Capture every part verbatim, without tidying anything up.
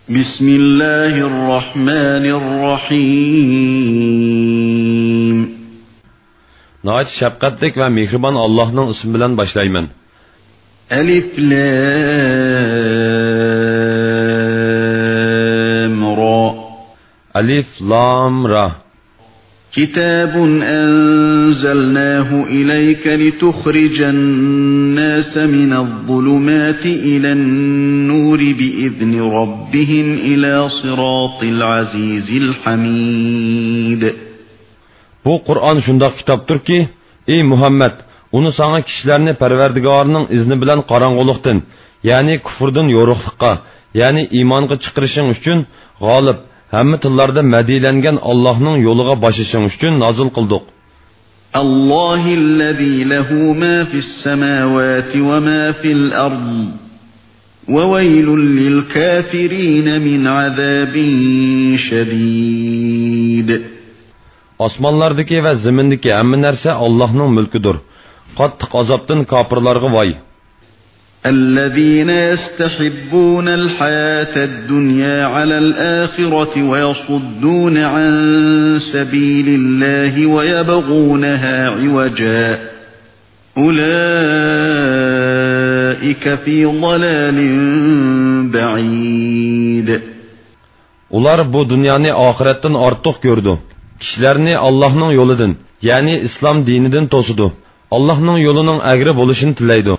بسم الله الرحمن الرحيم. ناھايىتى شەپقەتلىك ۋە مېھرىبان ئاللاھنىڭ ئىسمى بىلەن باشلايمەن. ألف لام را. ئەلىف لام را. كتاب أنزلناه إليك لتخرج الناس من الظلمات إلى النور بإذن ربهم إلى صراط العزيز الحميد. بۇ قۇرئان شۇنداق كىتابتۇركى، ئى مۇھەممەد، ئۇنى ساڭا كىشىلەرنى پەرۋەردىگارىنىڭ ئىزنى بىلەن قاراڭغۇلۇقتىن، يەنى كۇفۇردىن يورۇقلۇققا، يەنى ئىمانغا چىقىرىشىڭ ئۈچۈن، غالىب، ھەممە تىللاردا مەدھىيلەنگەن ئاللاھنىڭ يولىغا باشلىشىڭ ئۈچۈن نازىل قىلدۇق. الله الذي له ما في السماوات وما في الأرض وويل للكافرين من عذاب شديد. ئاسمانلاردىكى ۋە زېمىندىكى ھەممە نەرسە ئاللاھنىڭ مۈلكىدۇر. قاتتىق ئازابتىن كاپىرلارغا ۋاي. الذين يستحبون الحياة الدنيا على الآخرة ويصدون عن سبيل الله ويبغونها عوجا أولئك في ضلال بعيد. ئۇلار بۇ دۇنيانى ئاخىرەتتىن ئارتۇق كۆرىدۇ. كىشىلەرنى ئاللاھنىڭ يولىدىن، يەنى ئىسلام دىنىدىن توسىدۇ. ئاللاھنىڭ يولىنىڭ ئەگرى بولۇشىنى تىلەيدۇ.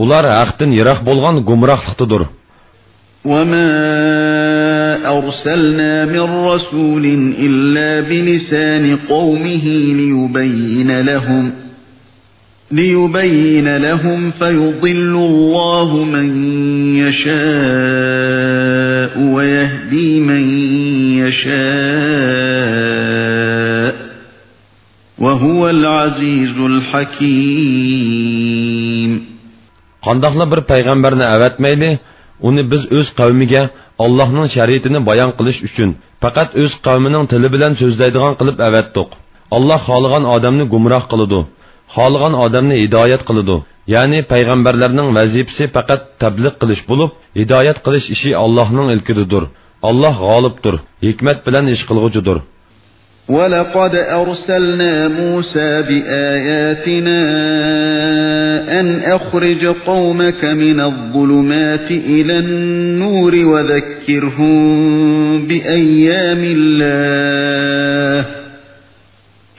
ئۇلار ھەقتىن يىراق بولغان گۇمراھلىقتىدۇر. وما أرسلنا من رسول إلا بلسان قومه ليبين لهم ليبين لهم فيضل الله من يشاء ويهدي من يشاء وهو العزيز الحكيم. قانداقلا بىر پەيغەمبەرنى ئەۋەتمەيلى، ئۇنى بىز ئۆز قەۋمىگە ئاللاھنىڭ شەرىئىتىنى بايان قىلىش ئۈچۈن، پەقەت ئۆز قەۋمىنىڭ تىلى بىلەن سۆزلەيدىغان قىلىپ ئەۋەتتۇق. ئاللاھ خالىغان ئادەمنى گۇمراھ قىلىدۇ، خالىغان ئادەمنى ھىدايەت قىلىدۇ. يەنى پەيغەمبەرلەرنىڭ ۋەزىپىسى پەقەت تەبلىغ قىلىش بولۇپ، ھىدايەت قىلىش ئىشى ئاللاھنىڭ ئىلكىدىدۇر. ئاللاھ غالىبتۇر، ھېكمەت بىلەن ئىش قىلغۇچىدۇر. ولقد أرسلنا موسى بآياتنا أن أخرج قومك من الظلمات إلى النور وذكرهم بأيام الله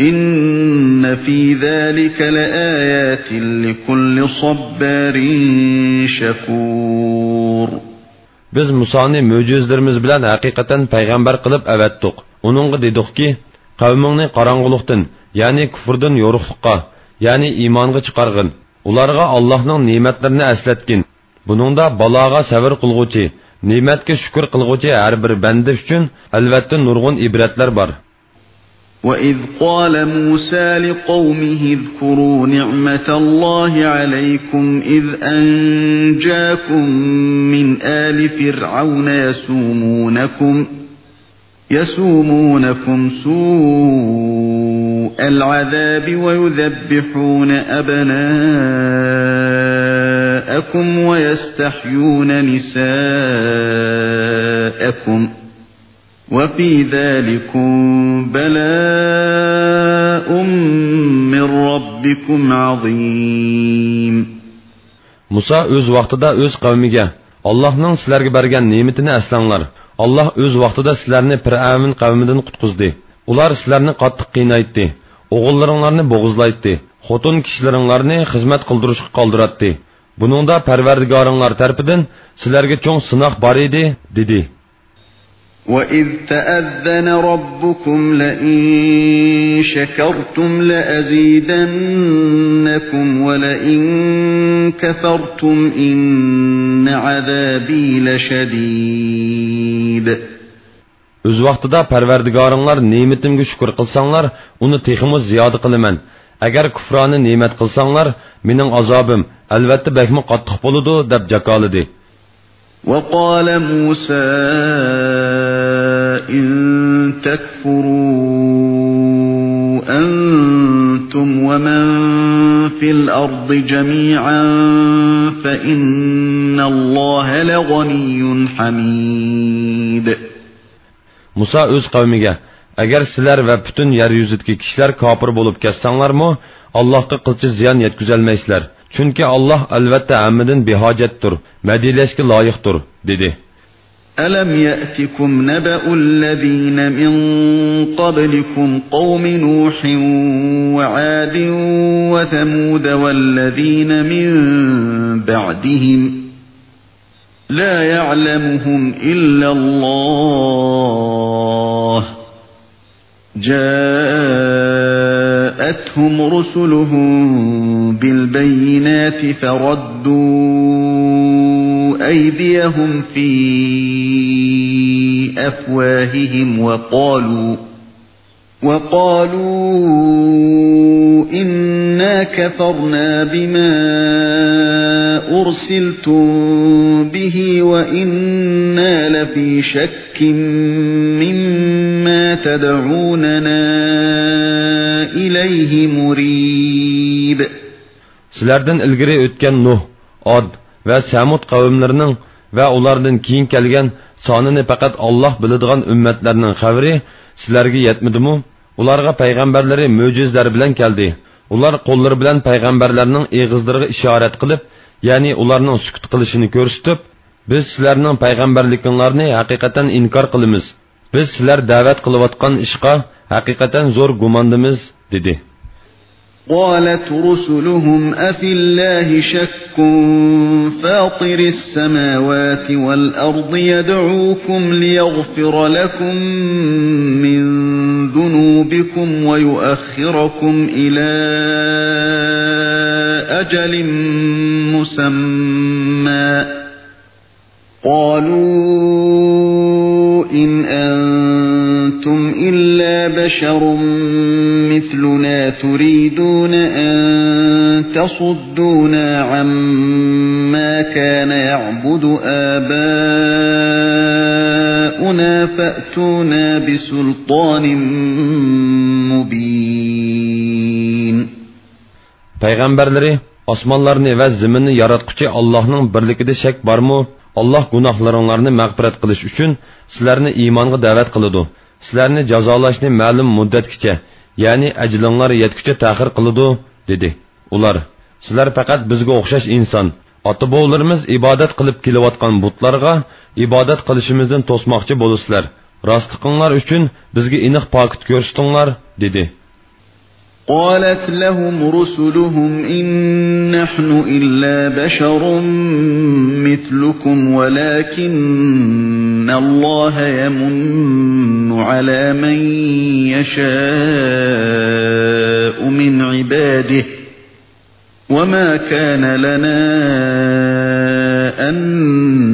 إن في ذلك لآيات لكل صبار شكور. بىز مۇسانى مۆجىزىلىرىمىز بىلەن ھەقىقەتەن پەيغەمبەر قىلىپ ئەۋەتتۇق. ئۇنىڭغا دېدۇقكى، قەۋمىڭنى قاراڭغۇلۇقتىن، يەنى كۇفۇردىن يورۇقلۇققا، يەنى ئىمانغا چىقارغىن. ئۇلارغا ئاللاھنىڭ نېمەتلىرىنى ئەسلەتكىن. بۇنىڭدا بالاغا سەۋر قىلغۇچى، نېمەتكە شۈكۈر قىلغۇچى ھەر بىر بەندە ئۈچۈن ئەلۋەتتە نۇرغۇن ئىبرەتلەر بار. وإذ قال موسى لقومه اذكروا نعمة الله عليكم إذ أنجاكم من آل فرعون يسومونكم يسومونكم سوء العذاب ويذبحون أبناءكم ويستحيون نساءكم وفي ذلكم بلاء من ربكم عظيم. مۇسا ئۆز ۋاقتىدا ئۆز قەۋمىگە، ئاللاھنىڭ سىلەرگە بەرگەن نېمىتىنى ئەسلەڭلار. ئاللاھ ئۆز ۋاقتىدا سىلەرنى پىرئەۋن قەۋمىدىن قۇتقۇزدى. ئۇلار سىلەرنى قاتتىق قىينايتتى. ئوغۇللىرىڭلارنى بوغۇزلايتتى. خوتۇن كىشىلىرىڭلارنى خىزمەت قىلدۇرۇشقا قالدۇراتتى. بۇنىڭدا پەرۋەردىگارىڭلار تەرىپىدىن سىلەرگە چوڭ سىناق بار ئىدى، دېدى. وإذ تأذن ربكم لئن شكرتم لأزيدنكم ولئن كفرتم إن عذابي لشديد. ئۆز ۋاقتىدا پەرۋەردىگارىڭلار نېمىتىمگە شۈكۈر قىلساڭلار، ئۇنى تېخىمۇ زىيادە قىلىمەن. ئەگەر كۇفرانە نېمەت قىلساڭلار، مېنىڭ ئازابىم ئەلۋەتتە بەكمۇ قاتتىق بولىدۇ، دەپ جاكالىدى. وقال موسى إن تكفروا أنتم ومن في الأرض جميعا فإن الله لغني حميد. مۇسا ئۆز قەۋمىگە: ئەگەر سىلەر ۋە پۈتۈن يەر يۈزىدىكى كىشىلەر كاپىر بولۇپ كەتسەڭلارمۇ، ئاللاھقا قىلچە زىيان يەتكۈزەلمەيسىلەر. چۈنكى ئاللاھ ئەلۋەتتە ھەممىدىن بىھاجەتتۇر، مەدھىيەلەشكە لايىقتۇر، دېدى. ألم يأتكم نبأ الذين من قبلكم قوم نوح وعاد وثمود والذين من بعدهم لا يعلمهم إلا الله جاءتهم رسلهم بالبينات فردوا أيديهم في أفواههم وقالوا وقالوا إنا كفرنا بما أرسلتم به وإنا لفي شك مما تدعوننا إليه مريب. سىلەردىن ئىلگىرى ئۆتكەن نۇھ، ئاد ۋە سەمۇد قەۋملىرىنىڭ ۋە ئۇلاردىن كېيىن كەلگەن سانىنى پەقەت ئاللاھ بىلىدىغان ئۈممەتلەرنىڭ خەۋىرى سىلەرگە يەتمىدىمۇ؟ ئۇلارغا پەيغەمبەرلىرى مۆجىزىلەر بىلەن كەلدى. ئۇلار قوللىرى بىلەن پەيغەمبەرلەرنىڭ ئېغىزلىرىغا ئىشارەت قىلىپ، يەنى ئۇلارنىڭ سۈكۈت قىلىشىنى كۆرسىتىپ، بىز سىلەرنىڭ پەيغەمبەرلىكىڭلارنى ھەقىقەتەن ئىنكار قىلىمىز. بىز سىلەر دەۋەت قىلىۋاتقان ئىشقا ھەقىقەتەن زور گۇماندىمىز، دېدى. قالت رسلهم أفي الله شك فاطر السماوات والأرض يدعوكم ليغفر لكم من ذنوبكم ويؤخركم إلى أجل مسمى قالوا إن أنتم إلا بشر مثلنا تريدون أن تصدونا عما كان يعبد آباؤنا فأتونا بسلطان مبين. پەيغەمبەرلىرى، ئاسمانلارنى ۋە زېمىننى ياراتقۇچى ئاللاھنىڭ بىرلىكىدە شەك بارمۇ؟ ئاللاھ گۇناھلىرىڭلارنى مەغپىرەت قىلىش ئۈچۈن سىلەرنى ئىمانغا دەۋەت قىلىدۇ، سىلەرنى جازالاشنى مەلۇم مۇددەتكىچە، يەنى ئەجىلىڭلار يەتكۈچە تەخىر قىلىدۇ، دېدى. ئۇلار: سىلەر پەقەت بىزگە ئوخشاش ئىنسان. ئاتا-بوۋىلىرىمىز ئىبادەت قىلىپ كېلىۋاتقان بۇتلارغا ئىبادەت قىلىشىمىزدىن توسماقچى بولىسىلەر. راستلىقىڭلار ئۈچۈن بىزگە ئېنىق پاكىت كۆرسىتىڭلار، دېدى. قالت لهم رسلهم إن نحن إلا بشر مثلكم ولكن الله يمن على من يشاء من عباده وما كان لنا أن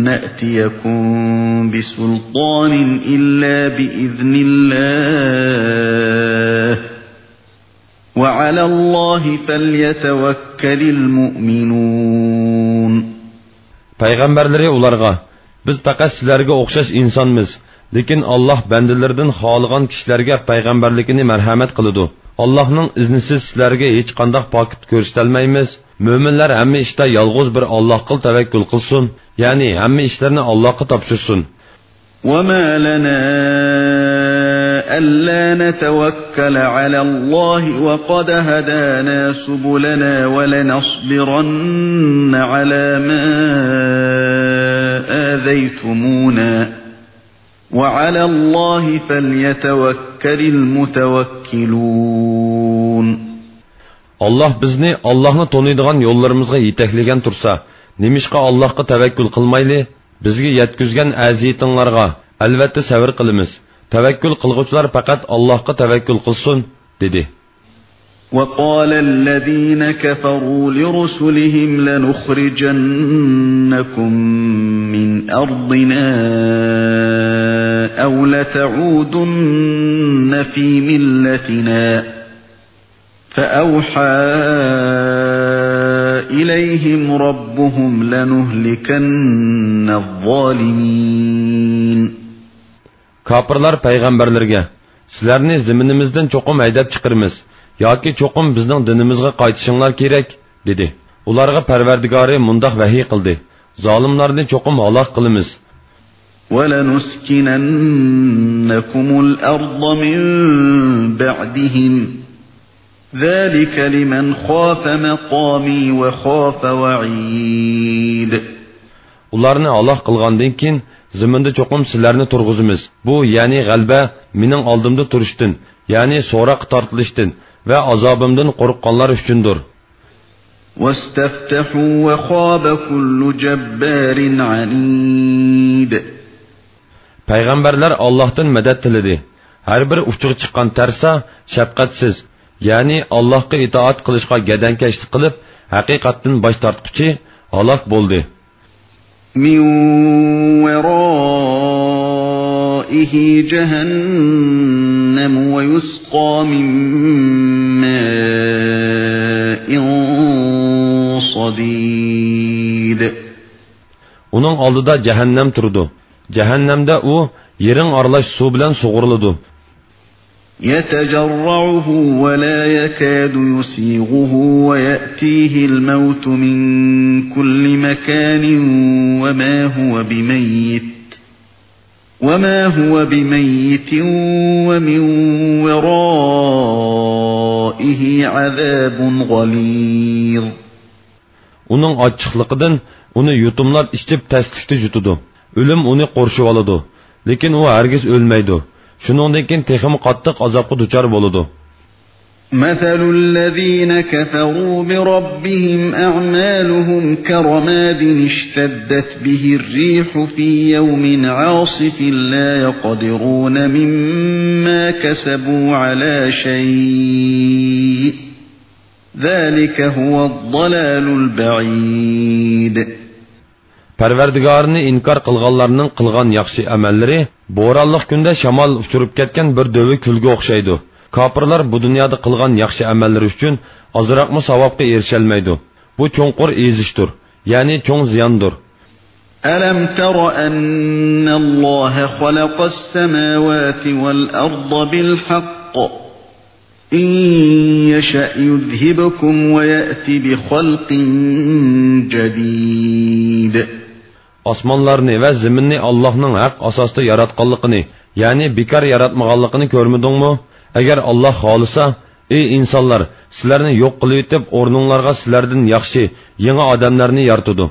نأتيكم بسلطان إلا بإذن الله وعلى الله فليتوكل المؤمنون. پەيغەمبەرلىرى ئۇلارغا: بىز پەقەت سىلەرگە ئوخشاش ئىنسانمىز، لېكىن ئاللاھ بەندىلىرىدىن خالىغان كىشىلەرگە پەيغەمبەرلىكىنى مەرھەمەت قىلىدۇ. ئاللاھنىڭ ئىزنىسىز سىلەرگە ھېچقانداق پاكىت كۆرسىتەلمەيمىز. مۆمىنلەر ھەممە ئىشتا يالغۇز بىر ئاللاھقىلا تەۋەككۈل قىلسۇن، يەنى ھەممە ئىشلىرىنى ئاللاھقا تاپشۇرسۇن. وما لنا ألا نتوكل على الله وقد هدانا سبلنا ولنصبرن على ما آذيتمونا وعلى الله فليتوكل المتوكلون. ئاللاھ بىزنى ئاللاھنى تونۇيدىغان يوللىرىمىزغا يېتەكلىگەن تۇرسا، نېمىشقا ئاللاھقا تەۋەككۈل قىلمايلى؟ بىزگە يەتكۈزگەن ئەزىيىتىڭلارغا، ئەلۋەتتە، سەۋر قىلىمىز. تەۋەككۈل قىلغۇچىلار پەقەت ئاللاھقا تەۋەككۈل قىلسۇن، دېدى. وقال الذين كفروا لرسلهم لنخرجنكم من أرضنا أو لتعودن في ملتنا فأوحى إليهم ربهم لنهلكن الظالمين. كاپىرلار پەيغەمبەرلىرىگە: سىلەرنى زېمىنىمىزدىن چوقۇم ھەيدەپ چىقىرىمىز ياكى چوقۇم بىزنىڭ دىنىمىزغا قايتىشىڭلار كېرەك، دېدى. ئۇلارغا پەرۋەردىگارى مۇنداق ۋەھىي قىلدى: زالىملارنى چوقۇم ھالاك قىلىمىز. وَلَنُسْكِنَنَّكُمُ الْأَرْضَ مِنْ بَعْدِهِمْ ذَلِكَ لِمَنْ خَافَ مَقَامِي وَخَافَ وَعِيدِ. ئۇلارنى ھالاك قىلغاندىن كېيىن، زېمىندا چوقۇم سىلەرنى تۇرغۇزىمىز. بۇ، يەنى غەلىبە، مېنىڭ ئالدىمدا تۇرۇشتىن، يەنى سوراققا تارتىلىشتىن ۋە ئازابىمدىن قورققانلار ئۈچۈندۇر. وَاسْتَفْتَحُوا وَخَابَ كُلُّ جَبَّارٍ عَنِيدٍ. پەيغەمبەرلەر ئاللاھتىن مەدەت تىلىدى. ھەر بىر ئۇچىغا چىققان تەرسا، شەپقەتسىز، يەنى ئاللاھقا ئىتائەت قىلىشقا گەدەنكەشلىك قىلىپ، ھەقىقەتتىن باش تارتقۇچى ھالاك بولدى. مِنْ وَرَائِهِ جَهَنَّمُ وَيُسْقَى مِنْ مَاءٍ صَدِيدٍ. ئۇنىڭ ئالدىدا جەھەننەم تۇرىدۇ. جەھەننەمدە ئۇ يىرىڭ ئارىلاش سۇ بىلەن سۇغۇرۇلىدۇ. يَتَجَرَّعُهُ وَلَا يَكَادُ يُسِيغُهُ وَيَأْتِيهِ الْمَوْتُ مِنْ كُلِّ مَكَانٍ وَمَا هُوَ بِمَيِّتٍ، وَمَا هُوَ بِمَيِّتٍ وَمِنْ وَرَائِهِ عَذَابٌ غَلِيظٌ. ئۇنىڭ ئاچچىقلىقىدىن ئۇنى يۇتۇملاپ ئىچىپ تەسلىكتە يۇتىدۇ. ئۆلۈم ئۇنى قورشىۋالىدۇ. لېكىن ئۇ ھەرگىز ئۆلمەيدۇ. شۇنىڭدىن كېيىن تېخىمۇ قاتتىق ئازابقا دۇچار بولىدۇ. مَثَلُ الَّذِينَ كَفَرُوا بِرَبِّهِمْ أَعْمَالُهُمْ كَرَمَادٍ اشْتَدَّتْ بِهِ الرِّيحُ فِي يَوْمٍ عَاصِفٍ لَا يَقْدِرُونَ مِمَّا كَسَبُوا عَلَى شَيْءٍ ذَلِكَ هُوَ الضَّلَالُ الْبَعِيدُ. پەرۋەردىگارىنى ئىنكار قىلغانلارنىڭ قىلغان ياخشى ئەمەللىرى بورانلىق كۈندە شامال ئۇچۇرۇپ كەتكەن بىر دۆۋە كۈلگە ئوخشايدۇ. كاپىرلار بۇ دۇنيادا قىلغان ياخشى ئەمەللىرى ئۈچۈن ئازراقمۇ ساۋابقا ئېرىشەلمەيدۇ. بۇ چوڭقۇر ئېزىشتۇر، يەنى چوڭ زىياندۇر. أَلَمْ تَرَ أَنَّ اللَّهَ خَلَقَ السَّمَاوَاتِ وَالْأَرْضَ بِالْحَقِّ إِنْ يَشَأْ يُذْهِبْكُمْ وَيَأْتِ بِخَلْقٍ جَدِيدٍ. ئاسمانلارنى ۋە زېمىننى ئاللاھنىڭ ھەق ئاساستا ياراتقانلىقىنى، يەنى بىكار ياراتمىغانلىقىنى كۆرمىدىڭمۇ؟ ئەگەر ئاللاھ خالىسا، ئى ئىنسانلار، سىلەرنى يوق قىلىۋېتىپ، ئورنۇڭلارغا سىلەردىن ياخشى، يېڭى ئادەملەرنى يارىتىدۇ.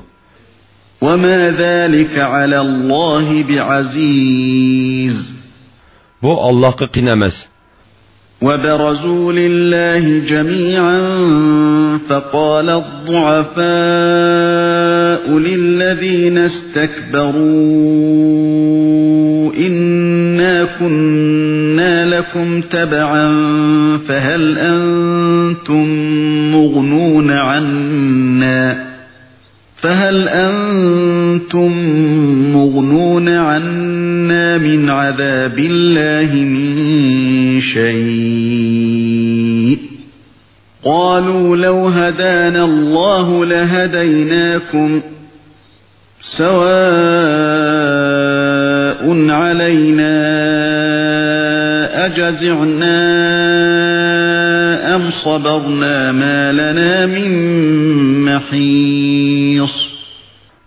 وَمَا ذَلِكَ عَلَى اللَّهِ بِعَزِيزٍ. بۇ ئاللاھقا قىيىن ئەمەس. وَبَرَزُوا لِلَّهِ جَمِيعًا فَقَالَ الضُّعَفَاءُ لِلَّذِينَ اسْتَكْبَرُوا إِنَّا كُنَّا لَكُمْ تَبَعًا فَهَلْ أَنْتُمْ مُغْنُونَ عَنَّا فَهَلْ أَنْتُمْ مُغْنُونَ عَنَّا مِنْ عَذَابِ اللَّهِ مِنْ شَيْءٍ؟ قَالُوا لَوْ هَدَانَا اللَّهُ لَهَدَيْنَاكُمْ سَوَاءٌ عَلَيْنَا أَجَزِعْنَا أَمْ صَبَرْنَا مَا لَنَا مِنْ مَحِيصٍ.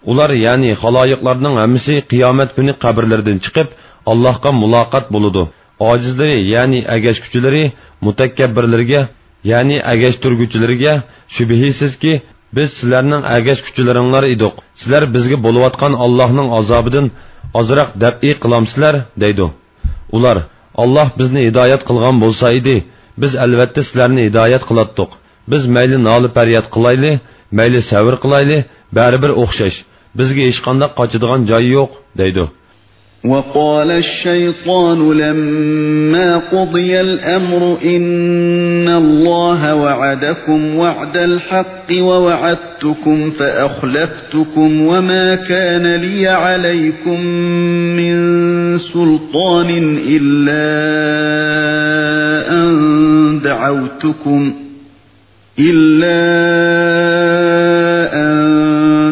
ئۇلار، يەنى خالايىقلارنىڭ ھەممىسى قىيامەت كۈنى قەبرىلىرىدىن چىقىپ، ئاللاھقا مۇلاقات بولىدۇ. ئاجىزلىرى، يەنى ئەگەشكۈچىلىرى، مۇتەكەببىرلىرىگە، يەنى ئەگەشتۈرگۈچىلىرىگە، شۈبھىسىزكى، بىز سىلەرنىڭ ئەگەشكۈچىلىرىڭلار ئىدۇق. سىلەر بىزگە بولۇۋاتقان ئاللاھنىڭ ئازابىدىن ئازراق دەپئى قىلامسىلەر؟ دەيدۇ. ئۇلار، ئاللاھ بىزنى ھىدايەت قىلغان بولسا ئىدى، بىز ئەلۋەتتە سىلەرنى ھىدايەت قىلاتتۇق. بىز مەيلى نالە-پەرياد قىلايلى، مەيلى سەۋر قىلايلى، بەرىبىر ئوخشاش. بىزگە ھېچقانداق قاچىدىغان جاي يوق، دەيدۇ. وَقَالَ الشَّيْطَانُ لَمَّا قُضِيَ الْأَمْرُ إِنَّ اللَّهَ وَعَدَكُمْ وَعْدَ الْحَقِّ وَوَعَدتُّكُمْ فَأَخْلَفْتُكُمْ وَمَا كَانَ لِيَ عَلَيْكُمْ مِنْ سُلْطَانٍ إِلَّا أَنْ دَعَوْتُكُمْ إِلَّا أَنْ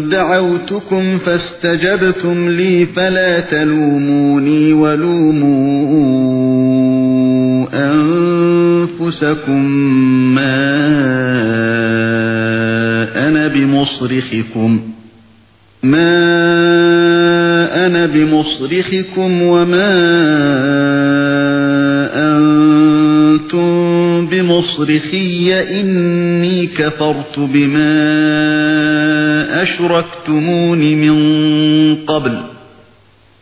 دَعَوْتُكُمْ فَاسْتَجَبْتُمْ لِي فَلَا تَلُومُونِي وَلُومُوا أَنْفُسَكُمْ مَا أَنَا بِمُصْرِخِكُمْ مَا أنا بمصرخكم وما أنتم بمصرخي إني كفرت بما أشركتمون من قبل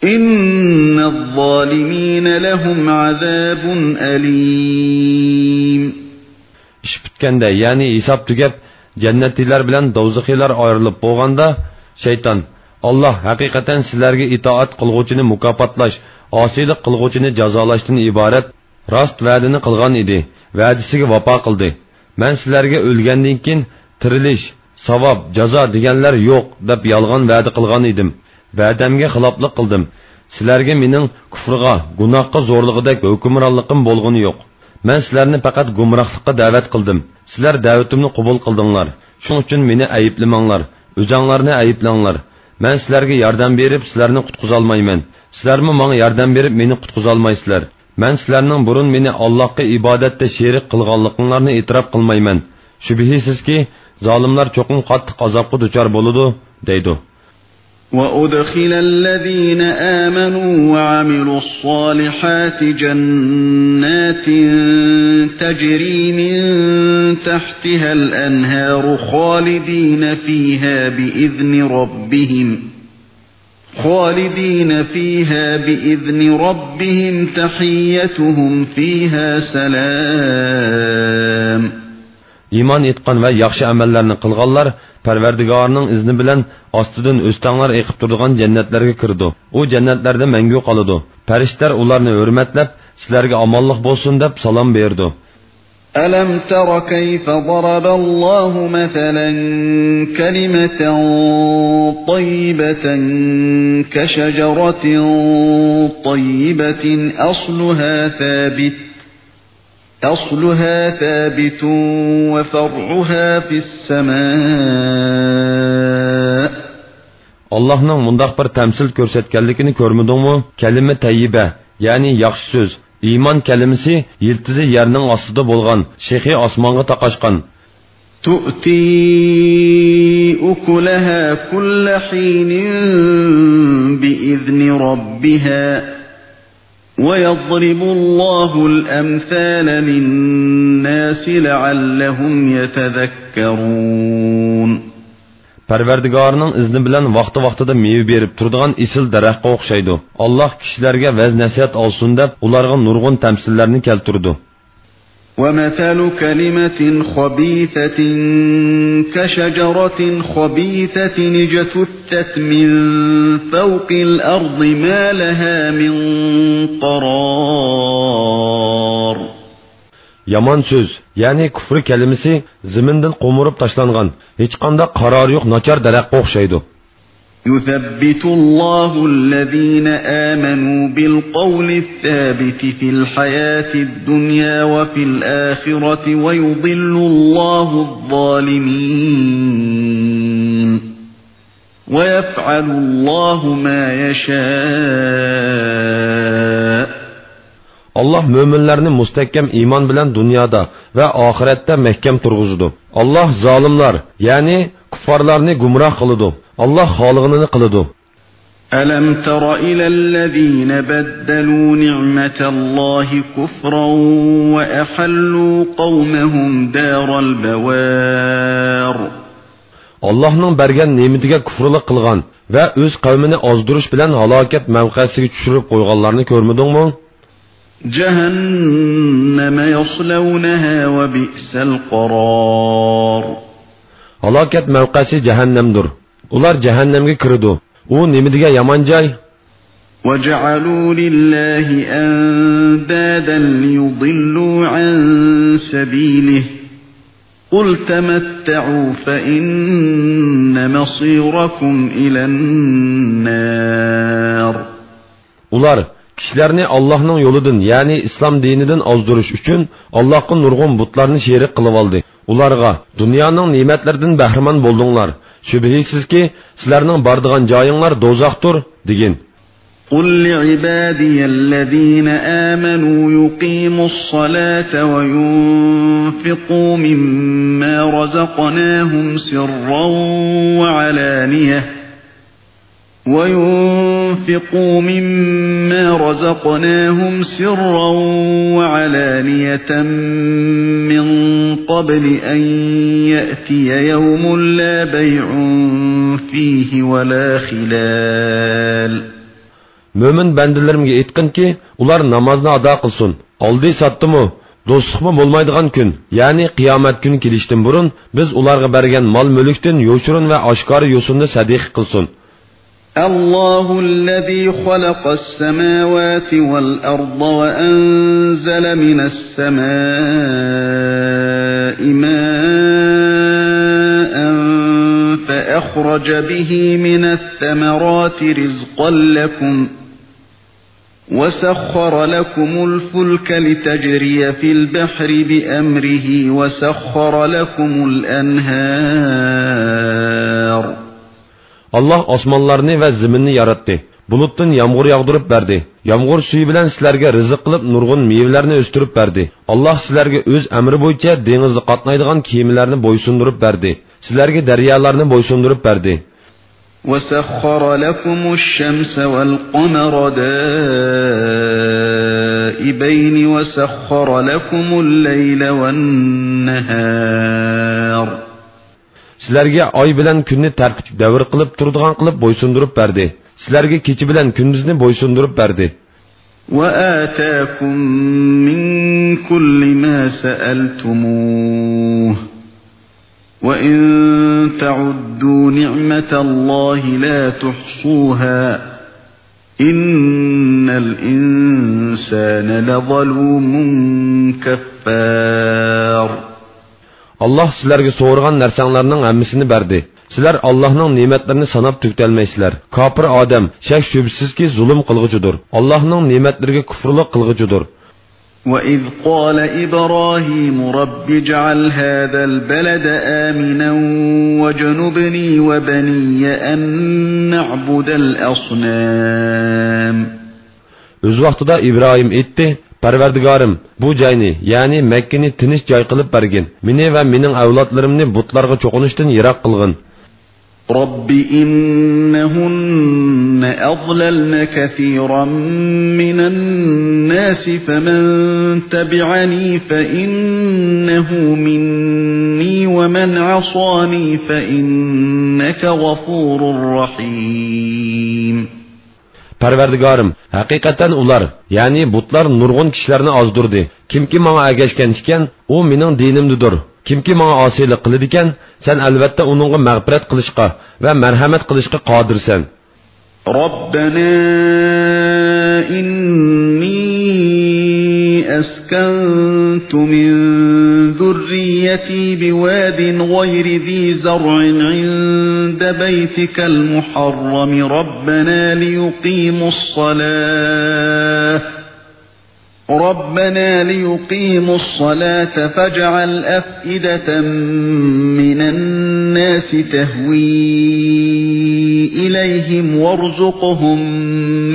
إن الظالمين لهم عذاب أليم. ئىش پۈتكەندە، يەنى ھېساب تۈگەپ، جەننەتىيلەر بىلەن دوزىخىيلار ئايرىلىپ بولغاندا، شەيتان: «ئاللاھ ھەقىقەتەن سىلەرگە ئىتائەت قىلغۇچىنى مۇكاپاتلاش، ئاسىيلىق قىلغۇچىنى جازالاشتىن ئىبارەت راست ۋەدىنى قىلغان ئىدى، ۋەدىسىگە ۋاپا قىلدى. مەن سىلەرگە ئۆلگەندىن كېيىن تىرىلىش، ساۋاب، جازا دېگەنلەر يوق دەپ يالغان ۋەدە قىلغان ئىدىم. ۋەدەمگە خىلاپلىق قىلدىم. سىلەرگە مېنىڭ كۇفرغا، گۇناھقا زورلىغۇدەك ھۆكۈمرانلىقىم بولغىنى يوق. مەن سىلەرنى پەقەت گۇمراھلىققا دەۋەت قىلدىم. سىلەر دەۋىتىمنى قوبۇل قىلدىڭلار. شۇنىڭ ئۈچۈن مېنى ئەيىبلىمەڭلار. ئۆزەڭلارنى ئەيىبلەڭلار. مەن سىلەرگە ياردەم بېرىپ، سىلەرنى قۇتقۇزالمايمەن. سىلەرمۇ ماڭا ياردەم بېرىپ، مېنى قۇتقۇزالمايسىلەر. مەن سىلەرنىڭ بۇرۇن مېنى ئاللاھقا ئىبادەتتە شېرىك قىلغانلىقىڭلارنى ئېتىراپ قىلمايمەن. شۈبھىسىزكى، زالىملار چوقۇم قاتتىق ئازابقا دۇچار بولىدۇ» دەيدۇ. وأدخل الذين آمنوا وعملوا الصالحات جنات تجري من تحتها الأنهار خالدين فيها بإذن ربهم خالدين فيها بإذن ربهم تحيتهم فيها سلام. ئىمان ئېيتقان ۋە ياخشى ئەمەللەرنى قىلغانلار پەرۋەردىگارىنىڭ ئىزنى بىلەن ئاستىدىن ئۆستەڭلار ئېقىپ تۇرىدىغان جەننەتلەرگە كىرىدۇ. ئۇ جەننەتلەردە مەڭگۈ قالىدۇ. پەرىشتىلەر ئۇلارنى ھۆرمەتلەپ، «سىلەرگە ئامانلىق بولسۇن» دەپ سالام بېرىدۇ. ألم تر كيف ضرب الله مثلا كلمة طيبة كشجرة طيبة أصلها ثابت أصلها ثابت وفرعها في السماء. ئاللاھنىڭ مۇنداق بىر تەمسىل كۆرسەتكەنلىكىنى كۆرمىدىڭمۇ؟ كەلىمە تەييىبە، يەنى ياخشى سۆز، ئىمان كەلىمىسى يىلتىزى يەرنىڭ ئاستىدا بولغان، شېخى ئاسمانغا تاقاشقان. تؤتي أكلها كل حين بإذن ربها ويضرب الله الأمثال للناس لعلهم يتذكرون. پەرۋەردىگارىنىڭ ئىزنى بىلەن ۋاقتى-ۋاقتىدا مېۋە بېرىپ تۇرىدىغان ئېسىل دەرەخكە ئوخشايدۇ. ئاللاھ كىشىلەرگە ۋەز-نەسىھەت ئالسۇن دەپ، ئۇلارغا نۇرغۇن تەمسىللەرنى كەلتۈرىدۇ. ومثل كلمة خبيثة كشجرة خبيثة اجتثت من فوق الأرض ما لها من قرار. يامان سۆز، يەنى كۇفر كەلىمىسى زېمىندىن قومۇرۇپ تاشلانغان، ھېچقانداق قارارى يوق ناچار دەرەخكە ئوخشايدۇ. يثبت الله الذين آمنوا بالقول الثابت في الحياة الدنيا وفي الآخرة ويضل الله الظالمين. ويفعل الله ما يشاء. ئاللاھ مۆمىنلەرنى مۇستەھكەم ئىمان بىلەن دۇنيادا ۋە ئاخىرەتتە مەھكەم تۇرغۇزىدۇ. ئاللاھ زالىملار، يەنى كۇففارلارنى گۇمراھ قىلىدۇ. ئاللاھ خالىغىنىنى قىلىدۇ. ألم تر إلى الذين بدلوا نعمة الله كفرا وأحلوا قومهم دار البوار. ئاللاھنىڭ بەرگەن نېمىتىگە كۇفرىلىق قىلغان ۋە ئۆز قەۋمىنى ئازدۇرۇش بىلەن ھالاكەت مەۋقەسىگە چۈشۈرۈپ قويغانلارنى كۆرمىدىڭمۇ؟ جهنم يصلونها وبئس القرار. ھالاكەت مەۋقەسى جەھەننەمدۇر. ئۇلار جەھەننەمگە كىرىدۇ. ئۇ نېمىدېگەن يامان جاي! وجعلوا لله أندادا ليضلوا عن سبيله. قل تمتعوا فإن مصيركم إلى النار. ئۇلار كىشىلەرنى ئاللاھنىڭ يولىدىن، يەنى ئىسلام دىنىدىن ئازدۇرۇش ئۈچۈن ئاللاھقا نۇرغۇن بۇتلارنى شېرىك قىلىۋالدى. ئۇلارغا، «دۇنيانىڭ نېمەتلىرىدىن بەھرىمەن بولدۇڭلار. شۈبھىسىزكى، سىلەرنىڭ بارىدىغان جايىڭلار دوزاختۇر» دېگىن. قل لعبادي الذين آمنوا يقيموا الصلاة وينفقوا مما رزقناهم سرا وعلانية وينفقوا مما رزقناهم سرا وعلانية من قبل أن يأتي يوم لا بيع فيه ولا خلال. مۆمىن بەندىلىرىمگە ئېيتقىنكى، ئۇلار نامازنى ئادا قىلسۇن. ئالدى ساتتىمۇ، دوستلۇقمۇ بولمايدىغان كۈن، يەنى قىيامەت كۈنى كېلىشتىن بۇرۇن، بىز ئۇلارغا بەرگەن مال-مۈلۈكتىن يوشۇرۇن ۋە ئاشكارا يوسۇندا سەدىقە قىلسۇن. الله الذي خلق السماوات والأرض وأنزل من السماء ماء فأخرج به من الثمرات رزقا لكم وسخر لكم الفلك لتجري في البحر بأمره وسخر لكم الأنهار. ئاللاھ ئاسمانلارنى ۋە زېمىننى ياراتتى. بۇلۇتتىن يامغۇر ياغدۇرۇپ بەردى. يامغۇر سۈيى بىلەن سىلەرگە رىزىق قىلىپ نۇرغۇن مېۋىلەرنى ئۆستۈرۈپ بەردى. ئاللاھ سىلەرگە ئۆز ئەمرى بويىچە دېڭىزدا قاتنايدىغان كېمىلەرنى بويسۇندۇرۇپ بەردى. سىلەرگە دەريالارنى بويسۇندۇرۇپ بەردى. وسخر لكم الشمس والقمر دائبين وسخر لكم الليل والنهار. سىلەرگە ئاي بىلەن كۈننى تەرتىپلىك دەۋر قىلىپ تۇرىدىغان قىلىپ بويسۇندۇرۇپ بەردى. سىلەرگە كېچە بىلەن كۈندۈزنى بويسۇندۇرۇپ بەردى. وآتاكم من كل ما سألتموه وإن تعدوا نعمة الله لا تحصوها إن الإنسان لظلوم كفار. ئاللاھ سىلەرگە سورىغان نەرسەڭلارنىڭ ھەممىسىنى بەردى. سىلەر ئاللاھنىڭ نېمەتلىرىنى ساناپ تۈگىتەلمەيسىلەر. كاپىر ئادەم، شەك-شۈبھىسىزكى، زۇلۇم قىلغۇچىدۇر. ئاللاھنىڭ نېمەتلىرىگە كۇفرلۇق قىلغۇچىدۇر. وإذ قال إبراهيم رب اجعل هذا البلد آمنا واجنبني وبني أن نعبد الأصنام. ئۆز ۋاقتىدا ئىبراھىم ئېيتتى: پەرۋەردىگارىم، بۇ جاينى، يەنى مەككىنى تىنچ جاي قىلىپ بەرگىن. مېنى ۋە مېنىڭ ئەۋلادلىرىمنى بۇتلارغا چوقۇنۇشتىن يىراق قىلغىن. رب إنهن أضللن كثيرا من الناس فمن تبعني فإنه مني ومن عصاني فإنك غفور رحيم. پەرۋەردىگارىم، ھەقىقەتەن ئۇلار، يەنى بۇتلار نۇرغۇن كىشىلەرنى ئازدۇردى. كىمكى ماڭا ئەگەشكەن ئىكەن، ئۇ مېنىڭ دىنىمدىدۇر. كىمكى ماڭا ئاسىيلىق قىلىدىكەن، سەن ئەلۋەتتە ئۇنىڭغا مەغپىرەت قىلىشقا ۋە مەرھەمەت قىلىشقا قادىرسەن. ربنا إني أسكنت من ذريتي بواد غير ذي زرع عند بيتك المحرم ربنا ليقيموا الصلاة ربنا ليقيموا الصلاة فاجعل أفئدة من الناس تهوي إليهم وارزقهم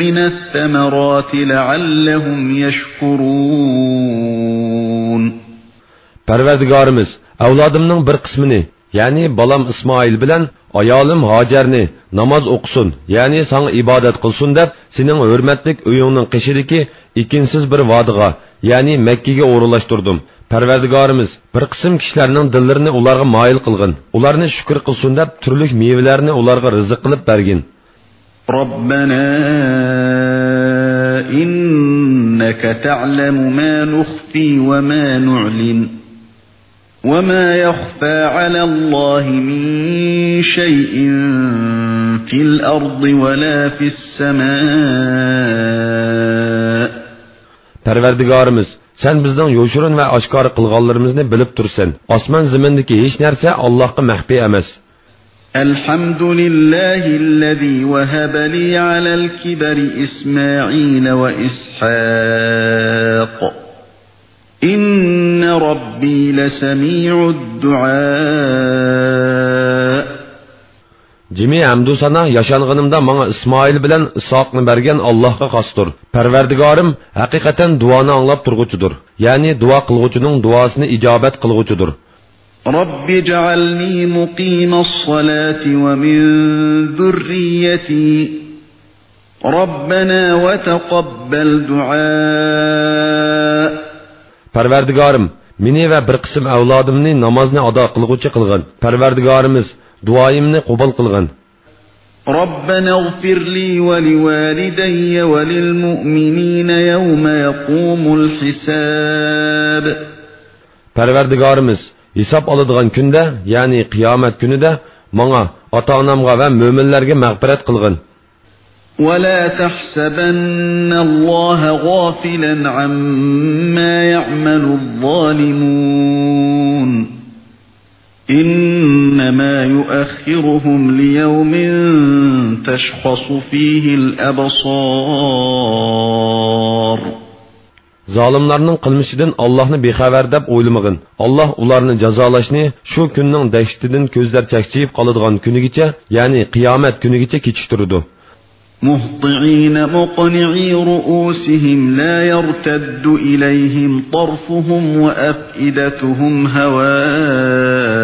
من الثمرات لعلهم يشكرون. پەرۋەردىگارىمىز، ئەۋلادىمنىڭ بىر قىسمىنى، يەنى بالام ئىسمائىل بىلەن ئايالىم ھاجەرنى ناماز ئوقۇسۇن، يەنى ساڭا ئىبادەت قىلسۇن دەپ، سېنىڭ ھۆرمەتلىك ئۆيۈڭنىڭ قېشىدىكى ئېكىنسىز بىر ۋادىغا، يەنى مەككىگە ئورۇنلاشتۇردۇم. پەرۋەردىگارىمىز، بىر قىسىم كىشىلەرنىڭ دىللىرىنى ئۇلارغا مايىل قىلغىن. ئۇلارنى شۈكۈر قىلسۇن دەپ، تۈرلۈك مېۋىلەرنى ئۇلارغا رىزىق قىلىپ بەرگىن. ربنا إنك تعلم ما نخفي وما نعلن وما يخفى على الله من شيء في الأرض ولا في السماء. پەرۋەردىگارىمىز، سەن بىزنىڭ يوشۇرۇن ۋە ئاشكارا قىلغانلىرىمىزنى بىلىپ تۇرىسەن. ئاسمان زېمىندىكى ھېچ نەرسە ئاللاھقا مەخپىي ئەمەس. الحمد لله الذي وهب لي على الكبر إسماعيل وإسحاق إن ربي لسميع الدعاء. جىمى ھەمدۇ سانا ياشانغىنىمدا ماڭا ئىسمائىل بىلەن ئىسھاقنى بەرگەن ئاللاھقا خاستۇر. پەرۋەردىگارىم ھەقىقەتەن دۇئانى ئاڭلاپ تۇرغۇچىدۇر، يەنى دۇئا قىلغۇچىنىڭ دۇئاسىنى ئىجابەت قىلغۇچىدۇر. رب اجعلني مقيم الصلاة ومن ذريتي ربنا وتقبل دعاء. پەرۋەردىگارىم، مېنى ۋە بىر قىسىم ئەۋلادىمنى نامازنى ئادا قىلغۇچى قىلغىن. پەرۋەردىگارىمىز، دۇئايىمنى قوبۇل قىلغىن. ربنا اغفر لي ولوالدي وللمؤمنين يوم يقوم الحساب. پەرۋەردىگارىمىز، ھېساب ئالىدىغان كۈندە، يەنى قىيامەت كۈنىدە ماڭا، ئاتا-ئانامغا ۋە مۆمىنلەرگە مەغپىرەت قىلغىن. ولا تحسبن الله غافلا عما يعمل الظالمون إنما يؤخرهم ليوم تشخص فيه الأبصار. زالىملارنىڭ قىلمىشىدىن ئاللاھنى بىخەۋەر دەپ ئويلىمىغىن. ئاللاھ ئۇلارنى جازالاشنى شۇ كۈننىڭ دەھشىتىدىن كۆزلەر چەكچىيىپ قالىدىغان كۈنىگىچە، يەنى قىيامەت كۈنىگىچە كېچىكتۈرىدۇ. مهطعين مقنعي رؤوسهم لا يرتد إليهم طرفهم وأفئدتهم هواء.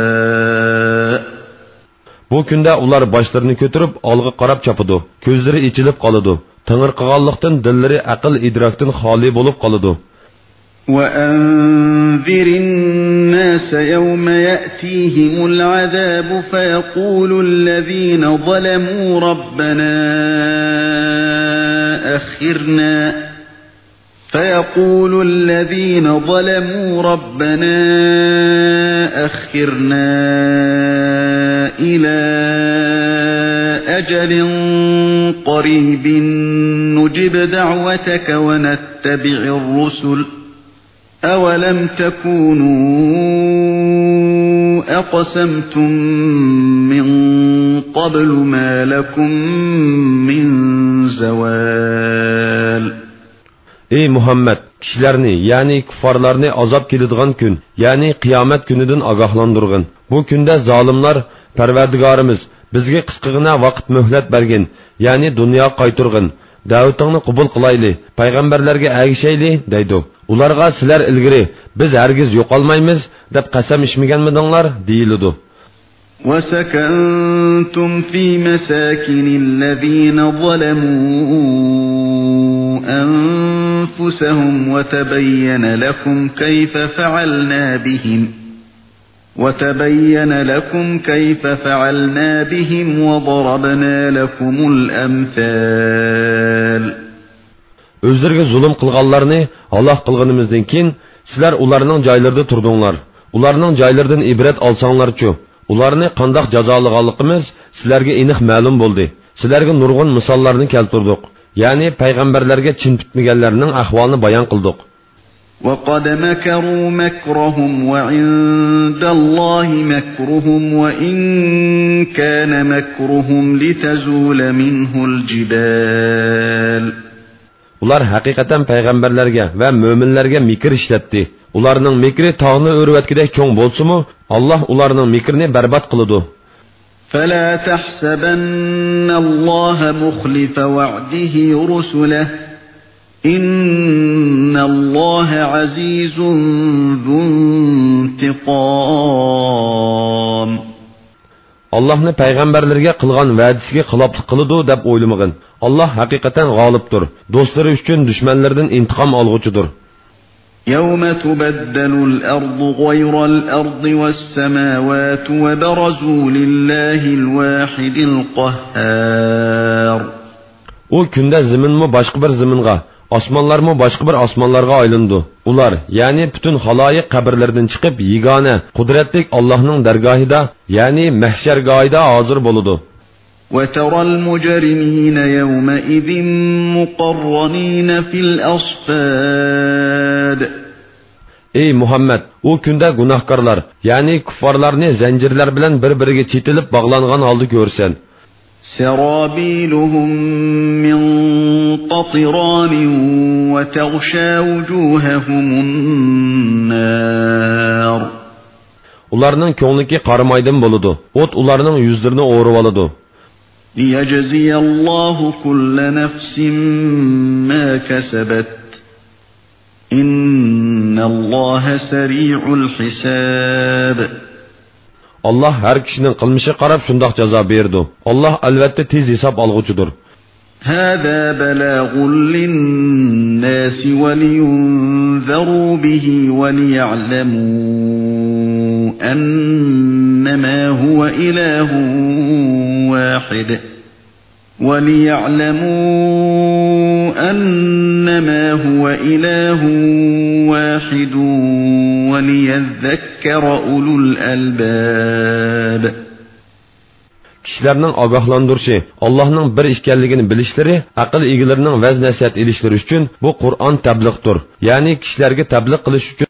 بۇ كۈندە ئۇلار باشلىرىنى كۆتۈرۈپ ئالغا قاراپ چاپىدۇ، كۆزلىرى ئېچىلىپ قالىدۇ، تېڭىرقىغانلىقتىن دىللىرى ئەقىل-ئىدراكتىن خالىي بولۇپ قالىدۇ. وأنذر الناس يوم يأتيهم العذاب فيقول الذين ظلموا ربنا أخرنا فيقول الذين ظلموا ربنا أخرنا إلى أجل قريب نجب دعوتك ونتبع الرسل أولم تكونوا أقسمتم من قبل ما لكم من زوال. ئەي مۇھەممەد، كىشىلەرنى، يەنى كۇففارلارنى ئازاب كېلىدىغان كۈن، يەنى قىيامەت كۈنىدىن ئاگاھلاندۇرغىن. بۇ كۈندە زالىملار، پەرۋەردىگارىمىز، بىزگە قىسقىغىنا ۋاقىت مۆھلەت بەرگىن، يەنى دۇنياغا قايتۇرغىن، دەۋىتىڭنى قوبۇل قىلايلى، پەيغەمبەرلەرگە ئەگىشەيلى، دەيدۇ. ئۇلارغا سىلەر ئىلگىرى، بىز ھەرگىز يوقالمايمىز، دەپ قەسەم ئىچمىگەنمىدىڭلار؟ دېيىلىدۇ. وسكنتم في مساكن الذين ظلموا أنفسهم وتبين لكم كيف فعلنا بهم وتبين لكم كيف فعلنا بهم وضربنا لكم الأمثال. ئۆزلىرىگە زۇلۇم قىلغانلارنى ھالاك قىلغىنىمىزدىن كېيىن، سىلەر ئۇلارنىڭ جايلىرىدا تۇردۇڭلار. ئۇلارنىڭ جايلىرىدىن ئىبرەت ئالساڭلارچۇ؟ ئۇلارنى قانداق جازالىغانلىقىمىز سىلەرگە ئېنىق مەلۇم بولدى. سىلەرگە نۇرغۇن مىساللارنى كەلتۈردۇق. يەنى پەيغەمبەرلەرگە چىن پۈتمىگەنلەرنىڭ ئەھۋالىنى بايان قىلدۇق. وقد مكروا مكرهم وعند الله مكرهم وإن كان مكرهم لتزول منه الجبال. ئۇلار ھەقىقەتەن پەيغەمبەرلەرگە ۋە مۆمىنلەرگە مىكىر ئىشلەتتى. ئۇلارنىڭ مىكرى تاغنى ئۆرۈۋەتكۈدەك چوڭ بولسىمۇ، ئاللاھ ئۇلارنىڭ مىكرىنى بەربات قىلىدۇ. فلا تحسبن الله مخلف وعده رسله إن الله عزيز ذو انتقام. ئاللاھنى پەيغەمبەرلىرىگە قىلغان ۋەدىسىگە خىلاپلىق قىلىدۇ دەپ ئويلىمىغىن. ئاللاھ ھەقىقەتەن غالىبتۇر، دوستلىرى ئۈچۈن دۈشمەنلىرىدىن ئىنتىقام ئالغۇچىدۇر. يوم تبدل الأرض غير الأرض والسماوات وبرزوا لله الواحد القهار. ئۇ كۈندە زېمىنمۇ باشقا بىر زېمىنغا، ئاسمانلارمۇ باشقا بىر ئاسمانلارغا ئايلىنىدۇ. ئۇلار، يەنى پۈتۈن خالايىق قەبرىلىرىدىن چىقىپ، يېگانە، قۇدرەتلىك ئاللاھنىڭ دەرگاھىدا، يەنى مەھشەرگاھىدا ھازىر بولىدۇ. وترى المجرمين يومئذ مقرنين في الأصفاد. ئەي مۇھەممەد، ئۇ كۈندە گۇناھكارلار، يەنى كۇففارلارنى زەنجىرلەر بىلەن بىر-بىرىگە چېتىلىپ باغلانغان ھالدا كۆرىسەن. سرابيلهم من قطران وتغشى وجوههم النار. ئۇلارنىڭ كۆڭلىكى قارا مايدىن بولىدۇ. ئوت ئۇلارنىڭ يۈزلىرىنى ئورىۋالىدۇ. ليجزي الله كل نفس ما كسبت إن الله سريع الحساب. ئاللاھ ھەر كىشىنىڭ قىلمىشىغا قاراپ شۇنداق جازا بېرىدۇ. ئاللاھ ئەلۋەتتە تېز ھېساب ئالغۇچىدۇر. هذا بلاغ للناس ولينذروا به وليعلموا أنما هو إله واحد، وليعلموا أنما هو إله واحد وليذكر أولو الألباب. كىشىلەرنىڭ ئاگاھلاندۇرۇشى، ئاللاھنىڭ بىر ئىكەنلىكىنى بىلىشلىرى، ئەقىل ئىگىلىرىنىڭ ۋەز-نەسىھەت ئېلىشلىرى ئۈچۈن بۇ قۇرئان تەبلىغدۇر. يەنى كىشىلەرگە تەبلىغ قىلىش ئۈچۈن